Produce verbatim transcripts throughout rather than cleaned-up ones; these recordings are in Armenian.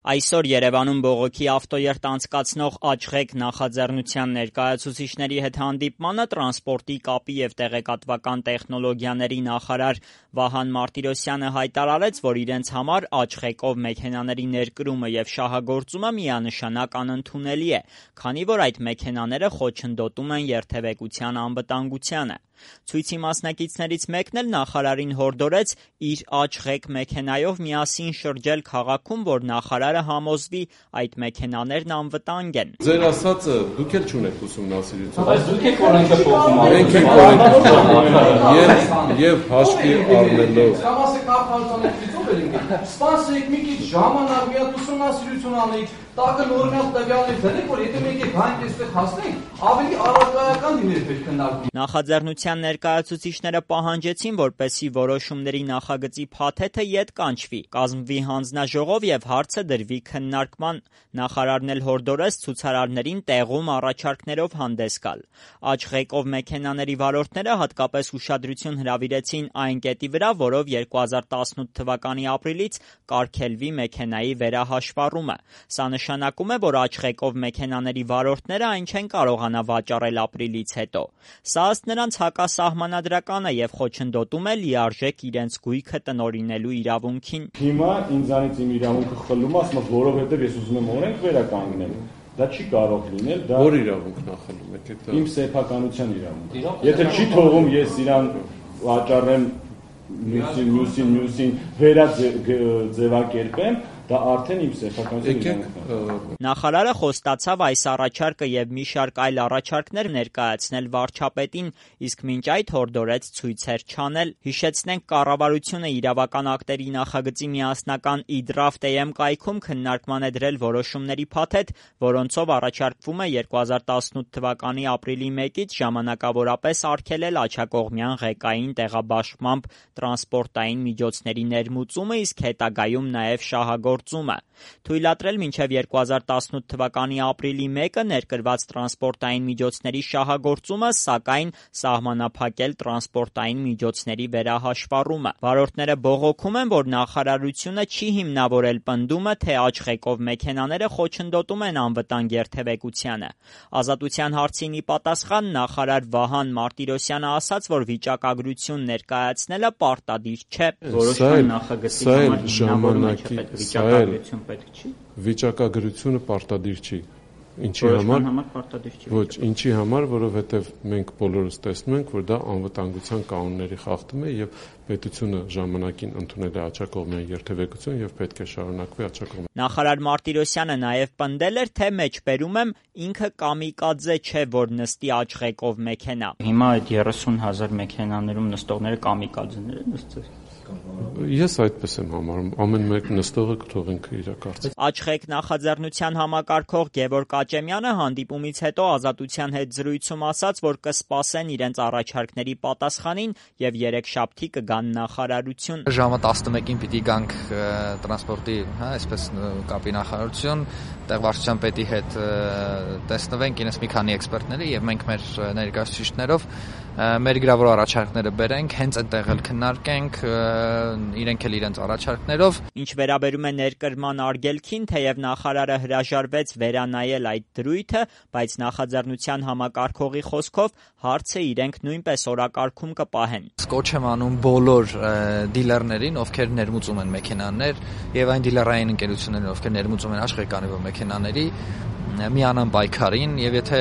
Այսօր Երևանում բողոքի ավտոերթ անցկացնող Աչղեկ նախաձեռնության ներկայացուցիչների հետ հանդիպմանը տրանսպորտի, կապի և տեղեկատվական տեխնոլոգիաների նախարար Վահան Մարտիրոսյանը հայտարարեց, որ իրենց համար Աչղեկով մեքենաների ներկրումը և շահագործումը միանշանակ անընդունելի է, քանի որ այդ մեքենաները խոչընդոտում են երթևեկության անվտանգությանը։ Ցույցի մասնակիցներից մեկն էլ նախարարին հորդորեց իր Աչղեկ մեքենայով միասին շրջել քաղաքում, որ նախարարը համոզվի այդ մեքենաներն անվտանգ են։ Ձեր ասածը դուք էլ չունեք ուսումնասիրություն։ Բայց դուք եք օրենքը փոխում։ Մենք ենք օրենքը փոխում։ Եվ եւ հաշվի առնելով Սպասեք մի քիչ ժամանակ մի հատ ուսումնասիրություն անենք, տակը նորմալ տվյալներ դնենք, որ եթե մենք եք հայն այստեղ հասնենք, ավելի առարկայական լիներ պետք քննարկում։ Նախաձեռնության ներկայացուցիչները պահանջեցին, որպեսզի որոշումների նախագծի փաթեթը ետ կանչվի, կազմվի հանձնաժողով եւ հարցը դրվի քննարկման։ Նախարարն էլ հորդորեց ցուցարարներին տեղում առաջարկներով հանդես գալ։ Աչղեկով մեքենաների վարորդները հատկապես ուշադրություն հրավիրեցին այն կետի վրա, որով երկու հազար տասնութ թվականի ապրիլից կարգելվի մեքենայի վերահաշվառումը։ Սա նշանակում է, որ Աչղեկով մեքենաների վարորդները այն չեն կարողանա վաճառել ապրիլից հետո։ Սա ըստ նրանց հակասահմանադրական է եւ խոչընդոտում է լիարժեք իրենց գույքը տնօրինելու իրավունքին։ Հիմա ինձանից իմ իրավունքը խլում է, ասում որովհետեւ ես ուզում եմ օրենք վերականգնել։ Դա չի կարող լինել, դա Որ իրավունքն է խլում եք դա։ Իմ սեփականության իրավունքը։ Եթե չի թողում ես իրան վաճառեմ մյուսին, մյուսին, մյուսին վերաձևակերպեմ, դա արդեն իմ սեփականության իրավունքն է։ Նախարարը խոստացավ այս առաջարկը եւ մի շարք այլ առաջարկներ ներկայացնել վարչապետին, իսկ մինչ այդ հորդորեց ցույցեր չանել։ Հիշեցնենք, կառավարությունը իրավական ակտերի նախագծի միասնական e-draft.am կայքում քննարկման է դրել որոշումների փաթեթ, որոնցով առաջարկվում է երկու հազար տասնութ թվականի ապրիլի մեկից ժամանակավորապես արգելել աջակողմյան ղեկային տեղաբաշխմամբ տրանսպորտային միջոցների ներմուծումը, իսկ հետագայում նաև շահագործումը։ Թույլատրել մինչև երկու հազար տասնութ թվականի ապրիլի մեկը ներկրված տրանսպորտային միջոցների շահագործումը, սակայն սահմանափակել տրանսպորտային միջոցների վերահաշվառումը։ Վարորդները բողոքում են, որ նախարարությունը չի հիմնավորել պնդումը, թե Աչղեկով մեքենաները խոչընդոտում են անվտանգ երթևեկությանը։ Ազատության հարցին ի պատասխան նախարար Վահան Մարտիրոսյանը ասաց, որ վիճակագրություն ներկայացնելը պարտադիր չէ։ Որոշման նախագծի ժամանակի վիճակագրություն պետք չի։ Վիճակագրությունը պարտադիր չի։ Ինչի Որոշման համար համար պարտադիր չի։ Ոչ, ինչի համար, որովհետև մենք բոլորս տեսնում ենք, որ դա անվտանգության կանոնների խախտում է եւ պետությունը ժամանակին ընդունել է աջակողմյան երթևեկություն եւ պետք է շարունակվի աջակողմյան։ Նախարար Մարտիրոսյանը նաև պնդել էր, թե մեջբերում եմ ինքը կամիկադզե չէ, որ նստի Աչղեկով մեքենա։ Հիմա այդ երեսուն հազար մեքենաներում նստողները կամիկադզեներ են նստել։ Ես այդպես եմ համարում, ամեն մեկ նստողը կթողենք իր կարծիքը։ Աչղեկ նախաձեռնության համակարգող Գևորգ Աճեմյանը հանդիպումից հետո Ազատության հետ զրույցում ասաց, որ կսպասեն իրենց առաջարկների պատասխանին եւ երեքշաբթի կգան նախարարություն։ Ժամը տասնմեկին պիտի գանք տրանսպորտի, հա, այսպես կապի նախարարություն, տեղվարչության պետի հետ տեսնվենք ինձ մի քանի էքսպերտների եւ մենք մեր ներկայացուցիչներով մեր գրավոր առաջարկները բերենք, հենց այնտեղ էլ քննարկենք, իրենք էլ իրենց առաջարկներով։ Ինչ վերաբերում է ներկրման արգելքին, թեև նախարարը հրաժարվեց վերանայել այդ դրույթը, բայց նախաձեռնության համակարգողի խոսքով հարցը իրենք նույնպես օրակարգում կպահեն։ Կոչ եմ անում բոլոր դիլերներին, ովքեր ներմուծում են մեքենաներ, եւ այն դիլերային ընկերություններին, ովքեր ներմուծում են աշխարհի մեքենաների, միանան պայքարին, եւ եթե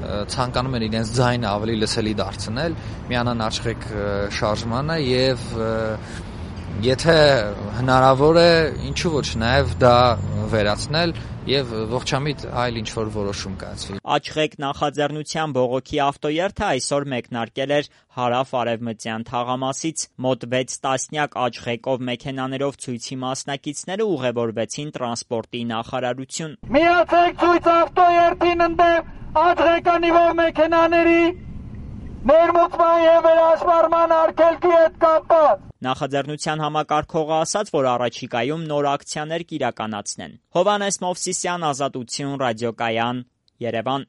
ցանկանում են իրենց ձայնը ավելի լսելի դարձնել, միանան Աչղեկ շարժմանը եւ եթե հնարավոր է, ինչու ոչ, նաեւ դա վերացնել եւ ողջամիտ այլ ինչ որ որոշում կայացվի։ Աչղեկ նախաձեռնության բողոքի ավտոերթը այսօր մեկնարկել էր հարավ-արևմտյան թաղամասից։ Մոտ վեց տասնյակ Աչղեկով մեքենաներով ցույցի մասնակիցները ուղևորվեցին տրանսպորտի նախարարություն։ Միացեք ցույց ավտոերթին ընդդեմ Աչղեկանիվով մեքենաների ներմուծման եւ վերահաշվառման արգելքի հետ կապված։ Նախաձեռնության համակարգողը ասաց, որ առաջիկայում նոր ակցիաներ կիրականացնեն։ Հովհաննես Մովսիսյան, Ազատություն, ռադիոկայան, Երևան։